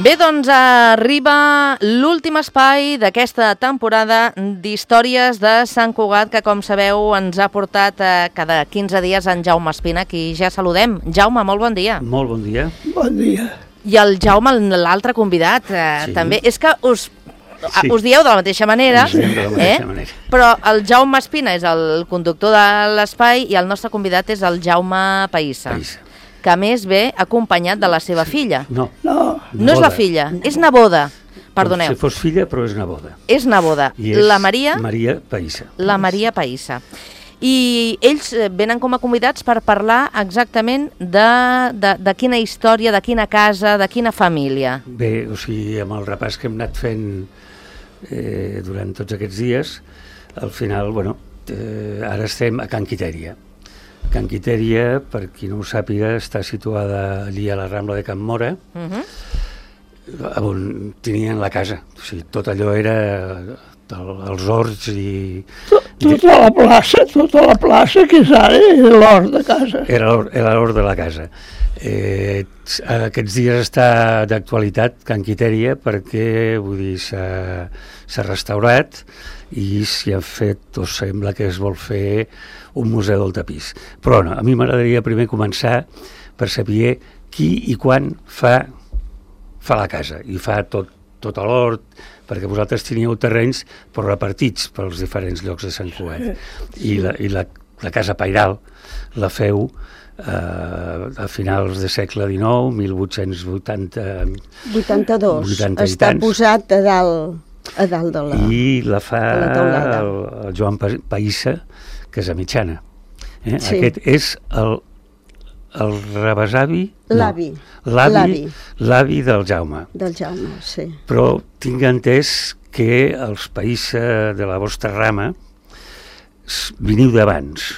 Bé, doncs arriba l'últim espai d'aquesta temporada d'Històries de Sant Cugat, que com sabeu ens ha portat cada 15 dies en Jaume Espina, qui ja saludem. Jaume, molt bon dia. Molt bon dia. Bon dia. I el Jaume, l'altre convidat, també. És que us dieu de la mateixa manera, però el Jaume Espina és el conductor de l'espai i el nostre convidat és el Jaume Païssa, que a més ve acompanyat de la seva filla. No és la filla, és neboda. Perdoneu. Si fos filla, però és neboda. És neboda. I és la Maria Païssa. La Maria Païssa. I ells venen com a convidats per parlar exactament de quina història, de quina casa, de quina família. Bé, o sigui, amb el repàs que hem anat fent durant tots aquests dies, al final, ara estem a Can Quitèria. Can Quitèria, per qui no ho sàpiga, està situada allí a la Rambla de Can Mora, on tenien la casa. O sigui, tot allò era els horts i... Tota la plaça que és ara era l'hort de casa. Era l'hort de la casa. Aquests dies està d'actualitat Can Quitèria perquè, vull dir, s'ha restaurat i s'hi ha fet, o sembla que es vol fer, un museu del tapís. Però no, a mi m'agradaria primer començar per saber qui i quan fa la casa, i fa tot l'hort, perquè vosaltres teníeu terrenys però repartits pels diferents llocs de Sant Cugat. I la casa pairal la feu a finals del segle XIX, 82. Està posat a dalt de la... I la fa el Joan Païssa, que és a Mitjana. Sí. Aquest és el rebesavi... L'avi del Jaume. Del Jaume, sí. Però tinc entès que els Païssa de la vostra rama veniu d'abans.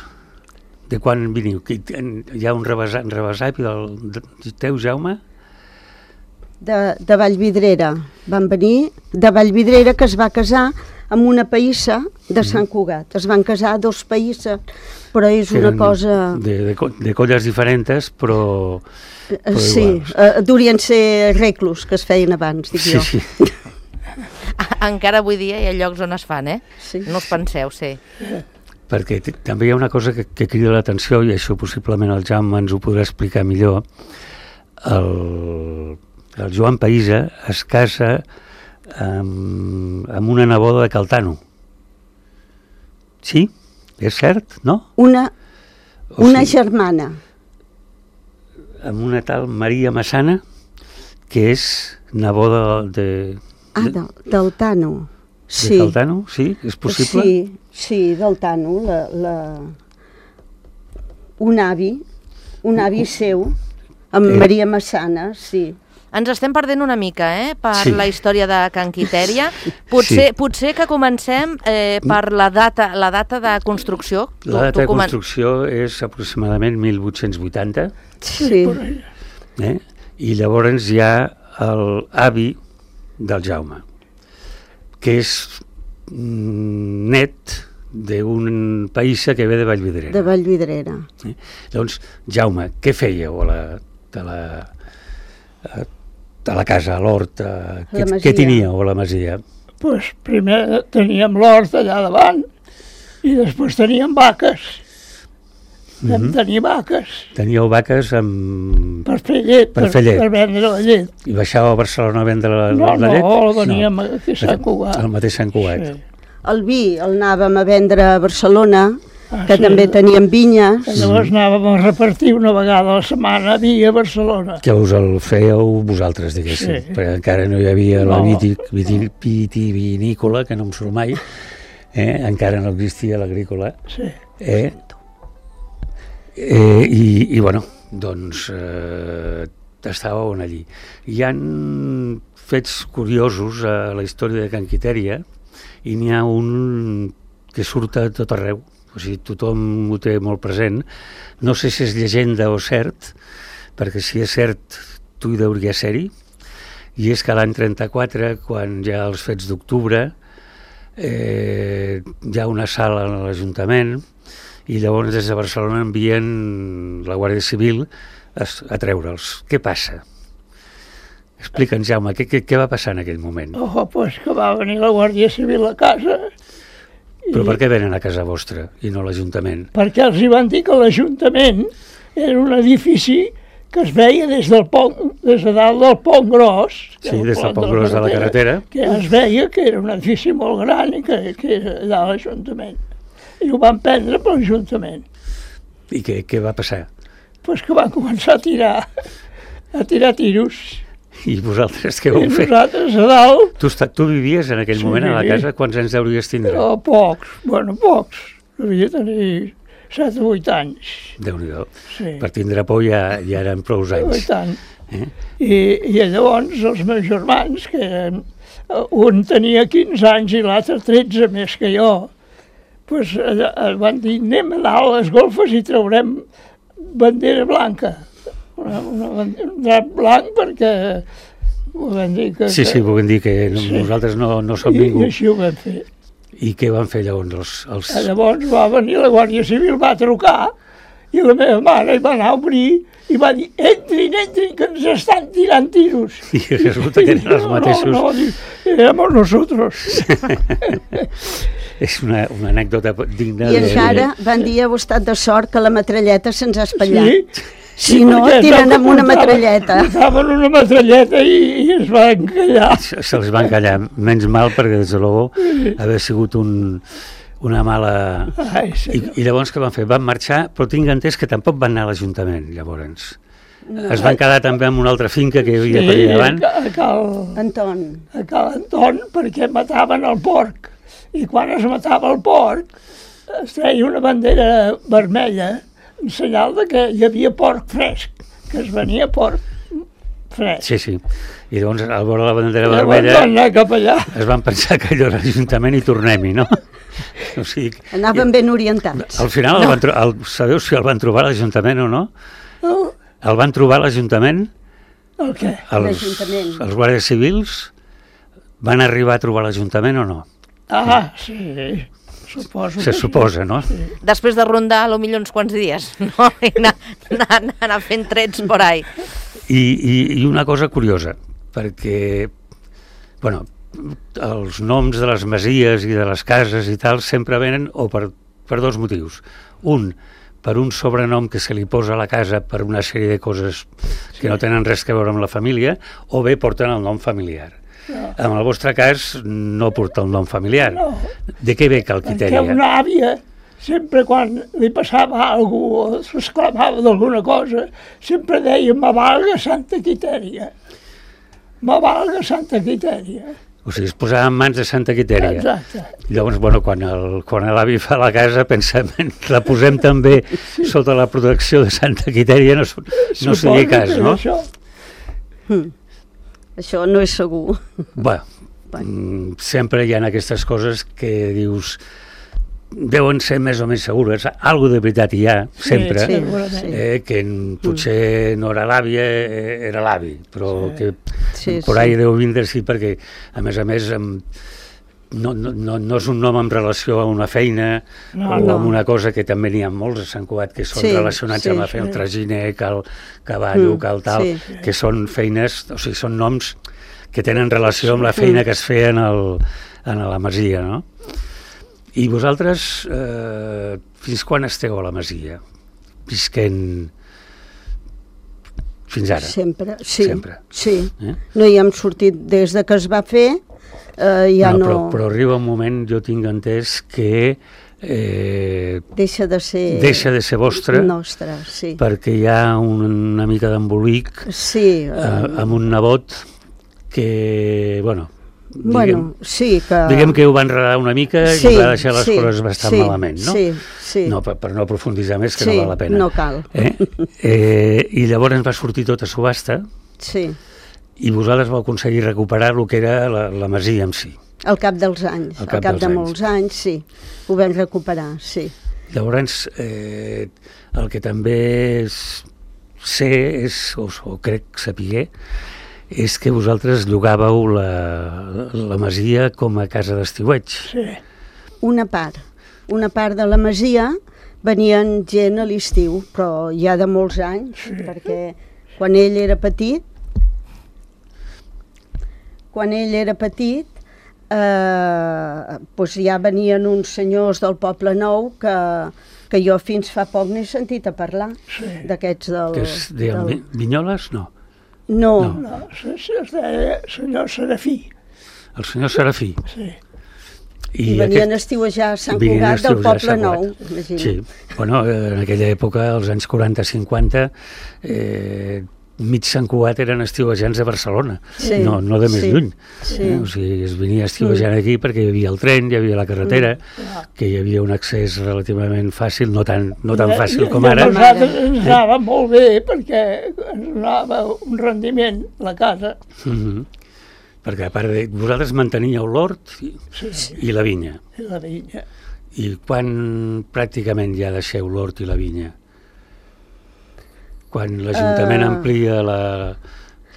De quan veniu? Hi ha un rebesavi del teu, Jaume? De Vallvidrera. Van venir de Vallvidrera, que es va casar amb una païssa de Sant Cugat. Es van casar dos païsses, però és una cosa... De colles diferents, però sí, durien ser reclus que es feien abans, dic jo. Sí. Encara avui dia hi ha llocs on es fan, Sí. No us penseu, sí. Perquè també hi ha una cosa que crida l'atenció, i això possiblement el Jaume ens ho podrà explicar millor. El Joan Païssa es casa amb una neboda de Caltano. Sí? És cert, no? Una germana. Amb una tal Maria Massana, que és neboda del Tano. Sí. De Caltano, sí? És possible? Sí, del Tano. Un avi seu, amb Maria Massana, sí. Ens estem perdent una mica, per la història de Can Quitèria. Potser que comencem per la data de construcció. La data de construcció és aproximadament 1880. Sí. I llavors hi ha l'avi del Jaume, que és net d'un païssa que ve de Vallvidrera. De Vallvidrera. Llavors, Jaume, què fèieu a la casa, a l'hort? Què teníeu a la masia? Pues primer teníem l'hort allà davant i després teníem vaques. Vam tenir vaques. Teníeu vaques per fer llet, per vendre la llet. I baixàveu a Barcelona a vendre la llet? No, veníem a Sant Cugat. Al mateix Sant Cugat. Sí. El vi el anàvem a vendre a Barcelona, que també teníem vinyes. Llavors anàvem a repartir una vegada a la setmana vi a Barcelona. Que us el fèieu vosaltres, diguéssim, perquè encara no hi havia la vitivinícola, que no em surt mai, encara no existia l'agrícola. Sí. I doncs estàveu allí. Hi ha fets curiosos a la història de Can Quitèria i n'hi ha un que surt a tot arreu, o sigui, tothom ho té molt present. No sé si és llegenda o cert, perquè si és cert tu hi deuria ser-hi, i és que l'any 34, quan hi ha els fets d'octubre, hi ha una sala a l'Ajuntament i llavors des de Barcelona envien la Guàrdia Civil a treure'ls. Què passa? Explica'ns, Jaume, què va passar en aquell moment? Pues que va venir la Guàrdia Civil a casa. Però per què venen a casa vostra i no a l'Ajuntament? Perquè els hi van dir que l'Ajuntament era un edifici que es veia des de dalt del Pont Gros. Sí, des del Pont Gros de la carretera. Que es veia que era un edifici molt gran i que era allà a l'Ajuntament. I ho van prendre per l'Ajuntament. I què va passar? Pues que van començar a tirar tiros. I vosaltres què vau fer? I nosaltres a dalt... Tu vivies en aquell moment a la casa? Quants anys deuries tindre? Pocs. Devia tenir 7 o 8 anys. Déu-n'hi-do. Sí. Per tindre por ja eren prou anys. I tant. I llavors els meus germans, que un tenia 15 anys i l'altre 13 més que jo, pues, van dir, anem a dalt a les golfes i traurem bandera blanca. Un drap blanc perquè van dir que... Sí, volem dir que nosaltres no som ningú. I així ho vam fer. I què van fer llavors? Llavors va venir la Guàrdia Civil, va trucar, i la meva mare hi va anar a obrir i va dir, entrin, que ens estan tirant tiros. I resulta que eren els mateixos. No, éramos nosotros. És una anècdota digna I encara van dir, heu estat de sort que la metralleta se'ns ha espatllat. Sí. Si no, tiren amb una metralleta. Portaven una metralleta i es va encallar. Se'ls va encallar. Menys mal, perquè des de luego haver sigut una mala... I llavors què van fer? Van marxar, però tinc entès que tampoc van anar a l'Ajuntament, llavors. Es van quedar també en una altra finca que hi havia per allà davant. A Cal Anton, perquè mataven el porc. I quan es matava el porc, es treia una bandera vermella en senyal de que hi havia porc fresc, que es venia porc fresc. Sí. I llavors, al veure la bandera vermella, van anar cap allà. Es van pensar que allò era l'Ajuntament i tornem-hi, no? O sigui, anaven ben orientats. Al final, sabeu si el van trobar a l'Ajuntament o no? No. El van trobar a l'Ajuntament? El què? L'Ajuntament. Els guàrdies civils van arribar a trobar l'Ajuntament o no? Sí. Se suposa, no? Sí. Després de rondar, potser uns quants dies, no? I anar fent trets por ahí. I una cosa curiosa, perquè, bueno, els noms de les masies i de les cases i tal sempre venen per dos motius. Un, per un sobrenom que se li posa a la casa per una sèrie de coses que no tenen res a veure amb la família, o bé porten el nom familiar. No. En el vostre cas no porta el nom familiar. No. De què ve Calquitèria? Perquè una àvia, sempre quan li passava alguna cosa, s'exclamava d'alguna cosa, sempre deia, me valga Santa Quitèria. Me valga Santa Quitèria. O sigui, es posava en mans de Santa Quitèria. Exacte. Llavors, bueno, quan l'avi fa la casa, pensem, la posem també sota la protecció de Santa Quitèria, no sigui cas, no? Això no és segur. Sempre hi ha aquestes coses que dius deuen ser més o menys segures. Algo de veritat hi ha, sempre, que potser no era l'àvia, era l'avi, però que por ahí deu vindre, sí, perquè a més no és un nom en relació a una feina o a una cosa que també n'hi ha molts a Sant Cugat que són relacionats amb la feina, el traginer, cal cavallo, cal tal, que són feines, o sigui, són noms que tenen relació amb la feina que es feia a la masia, no? I vosaltres fins quan esteu a la masia? Visquent fins ara? Sempre, sí. No hi hem sortit des de que es va fer. Però arriba un moment, jo tinc entès que deixa de ser vostre, sí. Perquè hi ha una mica d'embolic amb un nebot que, diguem que ho va enredar una mica i va deixar les coses bastant malament, no? Sí. No, per no aprofunditzar més, que no val la pena. No cal. I llavors va sortir tot a subhasta. Sí. I vosaltres vau aconseguir recuperar el que era la masia en si. Al cap dels anys, al cap de molts anys, sí. Ho vam recuperar, sí. Llavors, el que també sé, o crec saber, és que vosaltres llogàveu la masia com a casa d'estiueig. Sí. Una part de la masia venien gent a l'estiu, però ja de molts anys, perquè quan ell era petit quan ell era petit, doncs ja venien uns senyors del Poble Nou que jo fins fa poc n'he sentit a parlar, d'aquests del... Que es deien Vinyoles? No. No. Es deia senyor Serafí. El senyor Serafí. Sí. I venien a estiuejar a Sant Cugat del Poble Nou. Sí, bueno, en aquella època, als anys 40-50, mig Sant Cugat eren estiuejants de Barcelona, no de més lluny. O sigui, es venia estiuejant aquí perquè hi havia el tren, hi havia la carretera, que hi havia un accés relativament fàcil, no tan fàcil com ara. Ens anava molt bé perquè ens donava un rendiment la casa. Perquè a part de... Vosaltres manteníeu l'hort i la vinya. I la vinya. I quan pràcticament ja deixeu l'hort i la vinya? Quan l'Ajuntament amplia la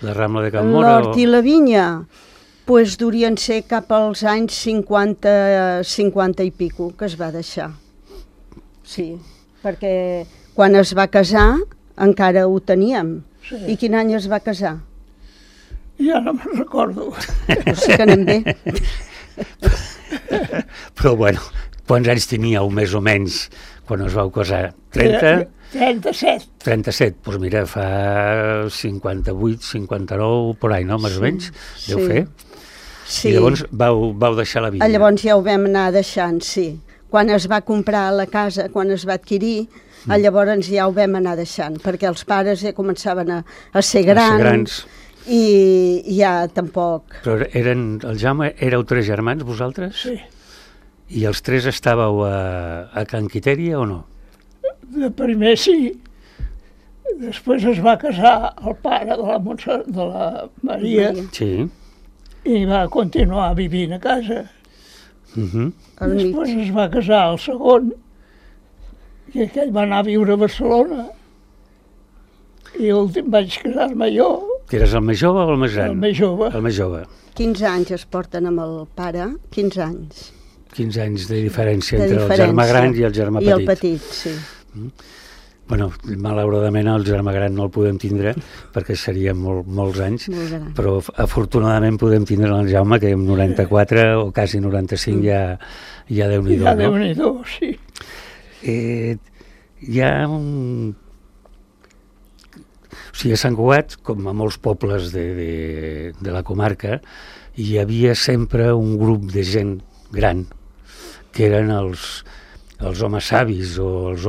Rambla de Can Móra? L'hort i la vinya, doncs durien ser cap als anys 50 i pico que es va deixar. Sí, perquè quan es va casar encara ho teníem. I quin any es va casar? Ja no me'n recordo. No sé que anem bé. Però bueno, quants anys teníeu més o menys quan us vau casar? 30? 37. 37, doncs mira, fa 58, 59, por ahí, no? Més o menys, deu fer. Sí. I llavors vau deixar la vinya. Llavors ja ho vam anar deixant, sí. Quan es va comprar la casa, quan es va adquirir, llavors ja ho vam anar deixant, perquè els pares ja començaven a ser grans. I ja tampoc... Però el Jaume, éreu 3 germans, vosaltres? Sí. I els 3 estàveu a Can Quitèria o no? De primer sí. Després es va casar el pare de la Maria. Sí. I va continuar vivint a casa. Després es va casar el segon, i aquell va anar a viure a Barcelona. I l'últim vaig casar-me jo. Que eres el més jove o el més gran? El més jove. El més jove. 15 anys es porten amb el pare, 15 anys. 15 anys de diferència entre el germà gran i el germà petit. I el petit, sí. Bueno, malauradament el germà gran no el podem tindre perquè seria molts anys, però afortunadament podem tindre el Jaume, que amb 94 o quasi 95 ja Déu-n'hi-do, no? Ja Déu-n'hi-do, sí. Hi ha un... O sigui, a Sant Cugat, com a molts pobles de la comarca, hi havia sempre un grup de gent gran, que eren els homes savis o els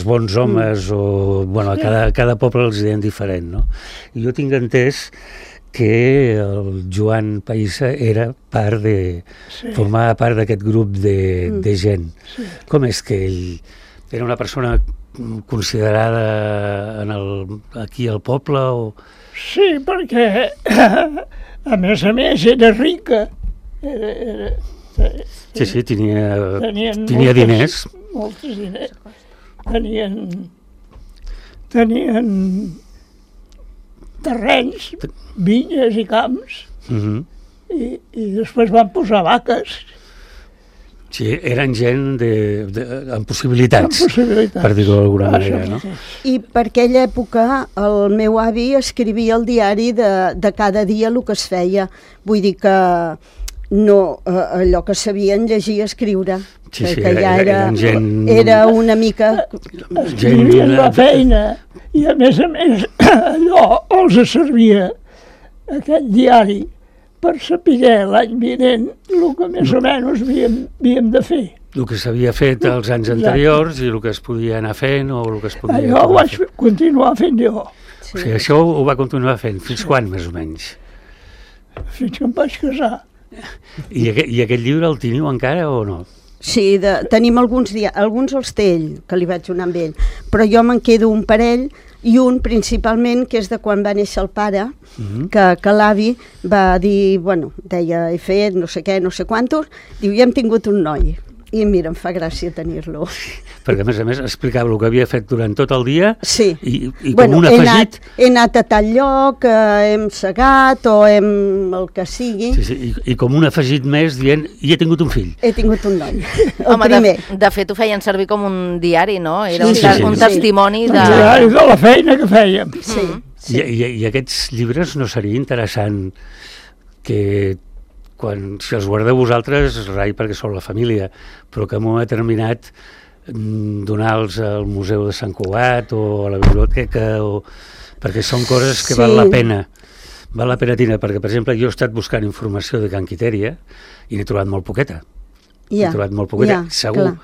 bons homes, o bueno, a cada poble els deien diferent, no? I jo tinc entès que el Joan Païssa formava part d'aquest grup de gent. Com és que ell era una persona considerada aquí al poble? Sí, perquè a més era rica. Sí, tenia diners. Molts diners. Tenien terrenys, vinyes i camps, i després van posar vaques. Sí, eren gent amb possibilitats, per dir-ho d'alguna manera, no? I per aquella època el meu avi escrivia al diari de cada dia el que es feia. Vull dir que no, allò que sabien llegir i escriure. Sí, que ja era una mica... Escrivien la feina i a més allò els servia aquest diari per saber l'any vinent el que més o menys havíem de fer. El que s'havia fet els anys anteriors i el que es podia anar fent o el que es podia... Allò ho vaig continuar fent jo. O sigui, això ho va continuar fent. Fins quan, més o menys? Fins que em vaig casar. I aquest llibre el teniu encara o no? Sí, tenim alguns els té ell, que li vaig donar amb ell, però jo me'n quedo un parell, i un principalment que és de quan va néixer el pare, que l'avi va dir, bueno, deia, he fet no sé què, no sé quantos, diu, ja hem tingut un noi. I mira, em fa gràcia tenir-lo. Perquè, a més, explicava el que havia fet durant tot el dia i bueno, com un afegit... He anat a tal lloc, hem segat o el que sigui. Sí, i com un afegit més dient, i he tingut un fill. He tingut un noi, Home, primer. De fet, ho feien servir com un diari, no? Era un testimoni de... Un diari de la feina que fèiem. Sí. I aquests llibres no seria interessant que si els guardeu vosaltres, rai perquè sou la família, però que en un moment determinat donar-los al Museu de Sant Cugat o a la biblioteca, perquè són coses que val la pena. Val la pena tenir, perquè, per exemple, jo he estat buscant informació de Can Quitèria i n'he trobat molt poqueta. Segur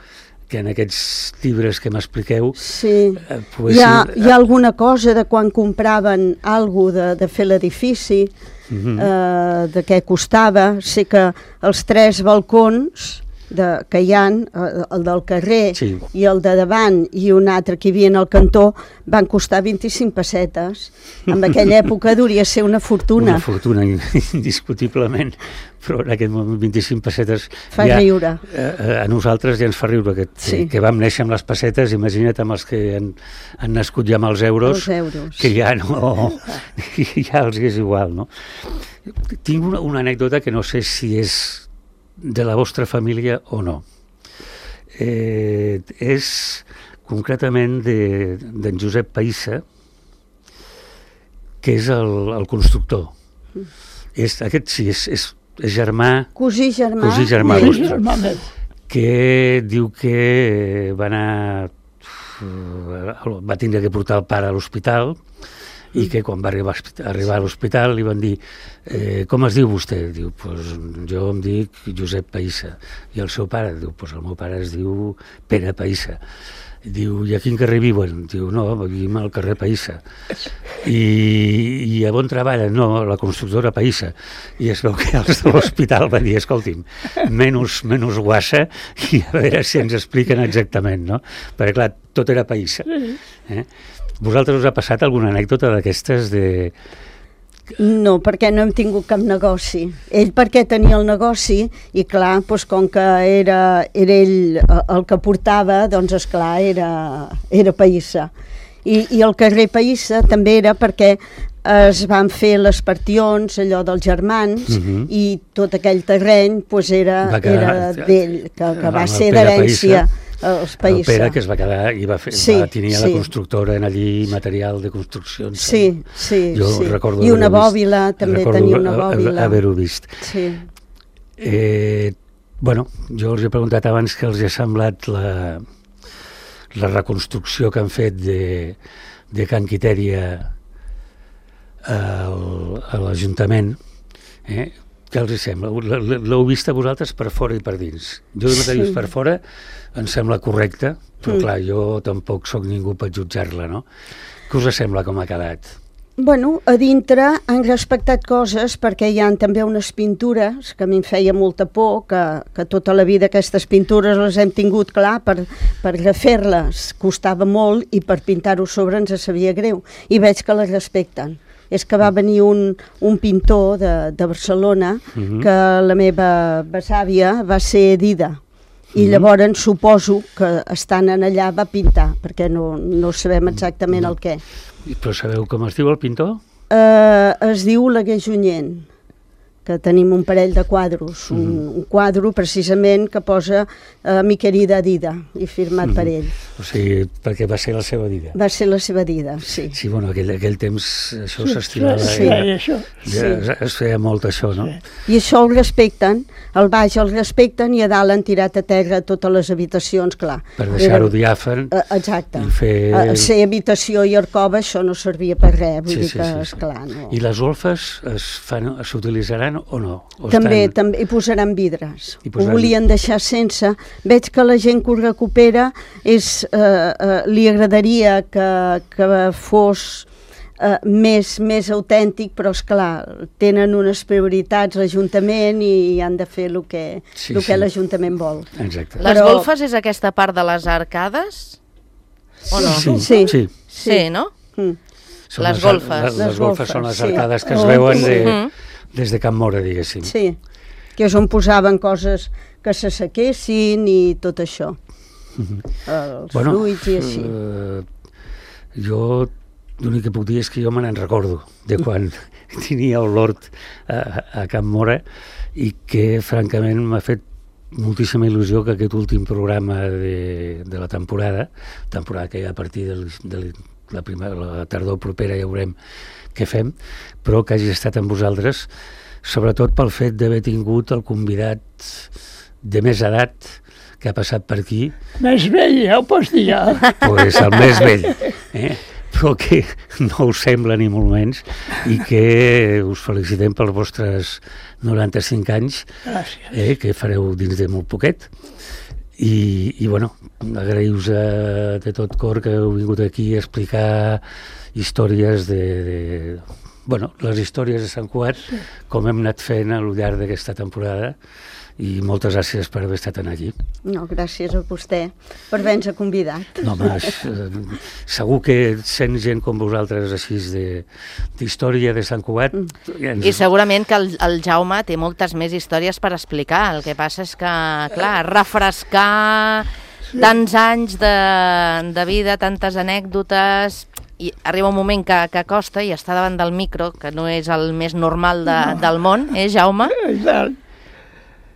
que en aquests llibres que m'expliqueu... Sí, hi ha alguna cosa de quan compraven alguna de fer l'edifici, de què costava. Sé que els 3 balcons que hi ha, el del carrer i el de davant i un altre que hi havia al cantó, van costar 25 pessetes. En aquella època hauria ser una fortuna. Una fortuna, indiscutiblement, però en aquest moment 25 pessetes... Fa riure. A nosaltres ja ens fa riure, que vam néixer amb les pessetes, imagina't amb els que han nascut ja amb els euros, que ja no... ja els és igual, no? Tinc una anècdota que no sé si és de la vostra família o no. És concretament d'en Josep Païssa, que és el constructor. Aquest sí, és germà... Cosí germà vostre. Que diu que va tindre que portar el pare a l'hospital i que quan va arribar a l'hospital li van dir com es diu vostè? Diu, pues jo em dic Josep Païssa. I el seu pare? Diu, pues el meu pare es diu Pere Païssa. Diu, i a quin carrer viuen? Diu, no, vivim al carrer Païssa. I a on treballen? No, a la constructora Païssa. I es veu que els de l'hospital van dir, escolti'm, menys guassa i a veure si ens expliquen exactament, no? Perquè clar, tot era Païssa. Vosaltres us ha passat alguna anècdota d'aquestes de... No, perquè no hem tingut cap negoci. Ell perquè tenia el negoci i clar, doncs com que era ell el que portava, doncs esclar, era Païssa. I el carrer Païssa també era perquè es van fer les partions, allò dels germans, i tot aquell terreny doncs era d'ell, que va ser d'herència. Els Païssa. El Pere, que es va quedar i va tenir la constructora en allí, material de construccions. Jo recordo i una bòbila, també tenia una bòbila. Haver-ho vist. Bueno, jo els he preguntat abans que els ha semblat la reconstrucció que han fet de Can Quitèria a l'Ajuntament. Què els sembla? L'heu vista vosaltres per fora i per dins. Jo de mateix per fora em sembla correcte, però clar, jo tampoc sóc ningú per jutjar-la, no? Què us sembla com ha quedat? Bueno, a dintre han respectat coses perquè hi ha també unes pintures que a mi em feia molta por, que tota la vida aquestes pintures les hem tingut, clar, per refer-les costava molt i per pintar-ho sobre ens sabia greu. I veig que les respecten. És que va venir un pintor de Barcelona que la meva besàvia va ser Dida. I llavors suposo que estant allà va pintar, perquè no sabem exactament el què. Però sabeu com es diu el pintor? Es diu Oleguer Junyent, que tenim un parell de quadros, un quadre precisament que posa Mi querida Dida i firmat per ell. O sigui, perquè va ser la seva Dida. Va ser la seva Dida, sí. Sí, bueno, aquell temps això s'estimava. Es feia molt això, no? I això el respecten, al baix el respecten i a dalt han tirat a terra totes les habitacions, clar. Per deixar-ho diàfan. Exacte. Ser habitació i arcova, això no servia per res, vull dir que, esclar, no. I les golfes s'utilitzaran o no? També hi posaran vidres. Ho volien deixar sense. Veig que la gent que ho recupera li agradaria que fos més autèntic, però esclar, tenen unes prioritats l'Ajuntament i han de fer el que l'Ajuntament vol. Exacte. Les golfes és aquesta part de les arcades? O no? Sí, no? Les golfes. Les golfes són les arcades que es veuen des de Can Móra, diguéssim. Sí, que és on posaven coses que s'assequessin i tot això. Els fruits i així. Jo l'únic que puc dir és que jo me n'en recordo de quan tenia l'hort a Can Móra i que francament m'ha fet moltíssima il·lusió que aquest últim programa de la temporada que ja a partir de la tardor propera ja veurem què fem, però que hagi estat amb vosaltres sobretot pel fet d'haver tingut el convidat de més edat que ha passat per aquí. Més vell, ja ho pots dir, ja. Pues el més vell, però que no us sembla ni molt menys, i que us felicitem pels vostres 95 anys, que fareu dins de molt poquet. I bueno, agraïu-vos de tot cor que heu vingut aquí a explicar històries bueno, les històries de Sant Cugat, com hem anat fent al llarg d'aquesta temporada, i moltes gràcies per haver estat aquí. No, gràcies a vostè per haver-nos convidat. No, home, segur que sent gent com vosaltres així d'història de Sant Cugat... I segurament que el Jaume té moltes més històries per explicar. El que passa és que, clar, refrescar tants anys de vida, tantes anècdotes... I arriba un moment que costa i està davant del micro, que no és el més normal del món, Jaume? Exacte.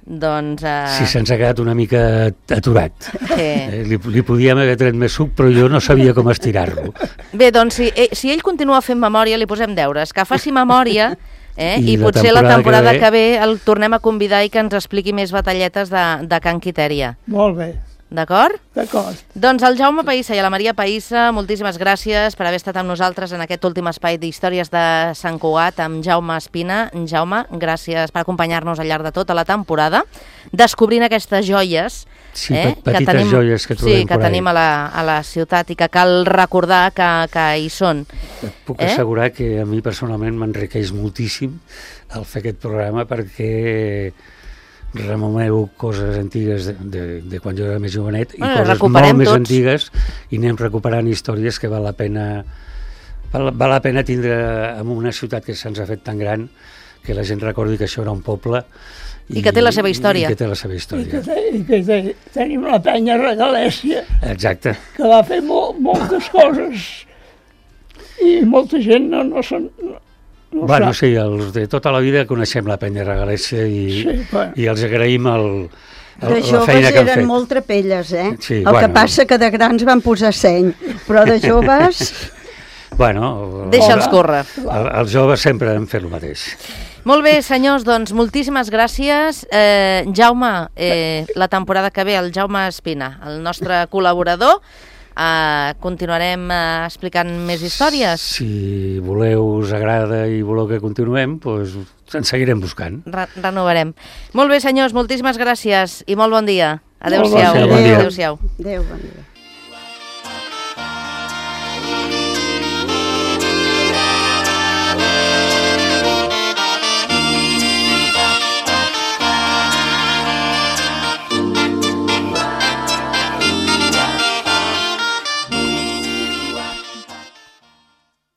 Doncs... Sí, se'ns ha quedat una mica aturat. Sí. Li podíem haver tret més suc, però jo no sabia com estirar-lo. Bé, doncs si ell continua fent memòria, li posem deures, que faci memòria, i potser la temporada temporada que ve el tornem a convidar i que ens expliqui més batalletes de Can Quitèria. Molt bé. D'acord? D'acord. Doncs el Jaume Païssa i a la Maria Païssa, moltíssimes gràcies per haver estat amb nosaltres en aquest últim espai d'històries de Sant Cugat amb Jaume Espina. Jaume, gràcies per acompanyar-nos al llarg de tota la temporada, descobrint aquestes joies petites joies que trobem que tenim a la ciutat i que cal recordar que hi són. Et puc assegurar que a mi personalment m'enriqueix moltíssim el fer aquest programa, perquè rememoreu coses antigues de quan jo era més jovenet i coses molt més antigues, i anem recuperant històries que val la pena tindre en una ciutat que se'ns ha fet tan gran, que la gent recordi que això era un poble i que té la seva història. I que té la seva història. I que tenim la penya Regalèssia, exacte, que va fer moltes coses i molta gent no se'n... Bueno, sí, els de tota la vida coneixem la penya Regalèssia i els agraïm la feina que han fet. De joves eren molt trapelles, Sí, el que passa que de grans van posar seny, però de joves... Bueno... Deixa'ls córrer. Els joves sempre han fet el mateix. Molt bé, senyors, doncs moltíssimes gràcies. Jaume, la temporada que ve, el Jaume Espina, el nostre col·laborador, continuarem explicant més històries. Si voleu, us agrada i voleu que continuem, doncs ens seguirem buscant. Renovarem. Molt bé, senyors, moltíssimes gràcies i molt bon dia. Adéu-siau. Bon dia. Adéu-siau. Adéu, bon dia.